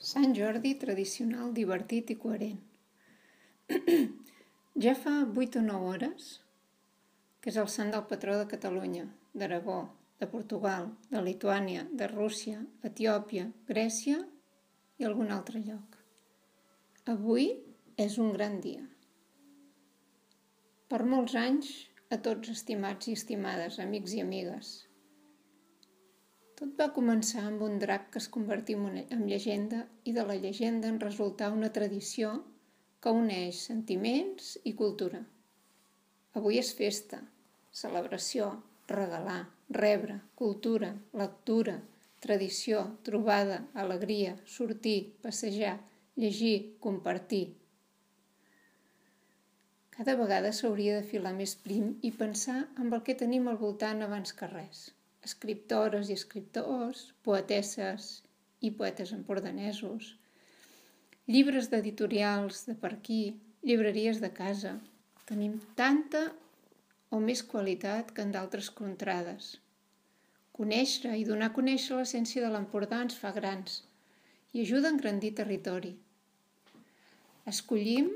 Sant Jordi tradicional, divertit i coherent. Ja fa 8 o 9 hores que és el sant del patró de Catalunya, d'Aragó, de Portugal, de Lituània, de Rússia, Etiòpia, Grècia i algun altre lloc. Avui és un gran dia. Per molts anys a tots estimats i estimades, amics i amigues. Tot va començar amb un drac que es convertí en llegenda i de la llegenda en resultà una tradició que uneix sentiments i cultura. Avui és festa, celebració, regalar, rebre, cultura, lectura, tradició, trobada, alegria, sortir, passejar, llegir, compartir. Cada vegada s'hauria de filar més prim i pensar en el que tenim al voltant abans que res. Escriptores i escriptors, poetesses i poetes empordanesos, llibres d'editorials de per aquí, llibreries de casa. Tenim tanta o més qualitat que en d'altres contrades. Conèixer i donar a conèixer l'essència de l'Empordà ens fa grans i ajuda a engrandir territori. Escollim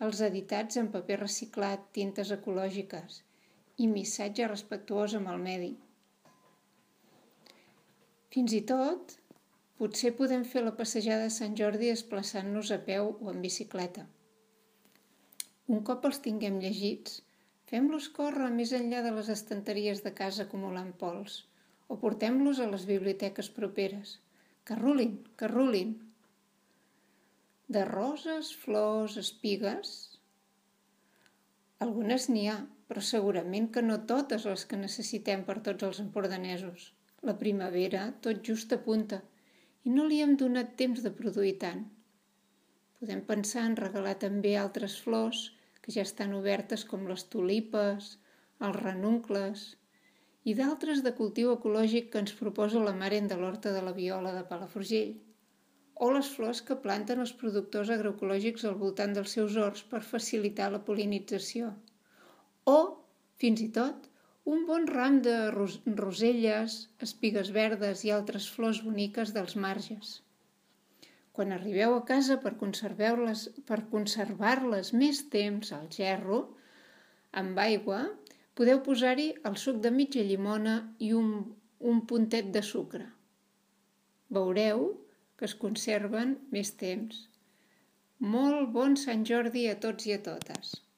els editats en paper reciclat, tintes ecològiques i missatge respectuós amb el medi. Fins i tot, potser podem fer la passejada de Sant Jordi desplaçant-nos a peu o en bicicleta. Un cop els tinguem llegits, fem-los córrer més enllà de les estanteries de casa acumulant pols o portem-los a les biblioteques properes. Que rulin, que rulin! De roses, flors, espigues... Algunes n'hi ha, però segurament que no totes les que necessitem per tots els empordanesos. La primavera tot just apunta i no li hem donat temps de produir tant. Podem pensar en regalar també altres flors que ja estan obertes com les tulipes, els ranuncles i d'altres de cultiu ecològic que ens proposa la Mare de l'Horta de la Viola de Palafrugell, o les flors que planten els productors agroecològics al voltant dels seus horts per facilitar la pol·linització, o, fins i tot, un bon ram de roselles, espigues verdes i altres flors boniques dels marges. Quan arribeu a casa per conservar-les més temps al gerro, amb aigua, podeu posar-hi el suc de mitja llimona i un puntet de sucre. Veureu que es conserven més temps. Molt bon Sant Jordi a tots i a totes!